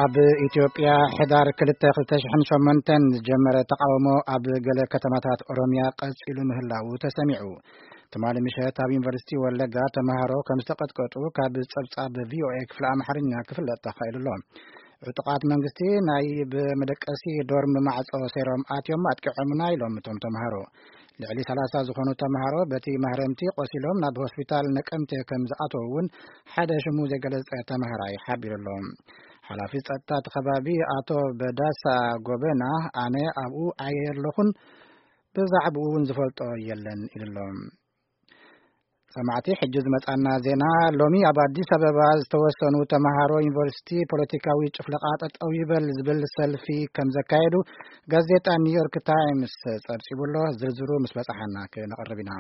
ኣብ ኢትዮጵያ ሕዳር ክልተ ክልተ ሽሕን ሸሞንተን ዝጀመረ ተቃውሞ ኣብ ገለ ከተማታት ኦሮሚያ ቀጺሉ ምህላዉ ተሰሚዑ። ትማሊ ምሸት ኣብ ዩኒቨርሲቲ ወለጋ ተማሃሮ ከም ዝተቀጥቀጡ ካብ ጸብጻብ ቪኦኤ ክፍሊ ኣምሓርኛ ክፍለጥ ተኻኢሉ ኣሎ። ዕጡቓት መንግስቲ ናይ ብመደቀሲ ዶርም ማዕጾ ሰይሮም ኣትዮም ኣጥቂዖምና ኢሎም እቶም ተማሃሮ። ልዕሊ ሰላሳ ዝኾኑ ተማሃሮ በቲ ማህረምቲ ቆሲሎም ናብ ሆስፒታል ነቀምቴ ከም ዝኣተዉ እውን ሓደ ሽሙ ዘይገለጸ ተማሃራይ ሓቢሩ ኣሎ። ሓላፊ ጸጥታ እቲ ከባቢ ኣቶ በዳሳ ጎበና፣ ኣነ ኣብኡ ኣየለኹን፣ ብዛዕባኡ እውን ዝፈልጦ የለን ኢሉ ኣሎ። ሰማዕቲ፣ ሕጂ ዝመጻና ዜና። ሎሚ ኣብ ኣዲስ ኣበባ ዝተወሰኑ ተማሃሮ ዩኒቨርሲቲ ፖለቲካዊ ጭፍለቃ ጠጠው ይበል ዝብል ሰልፊ ከም ዘካየዱ ጋዜጣ ኒውዮርክ ታይምስ ጸብጺቡ ኣሎ። ዝርዝሩ ምስ በጻሓና ክነቕርብ ኢና።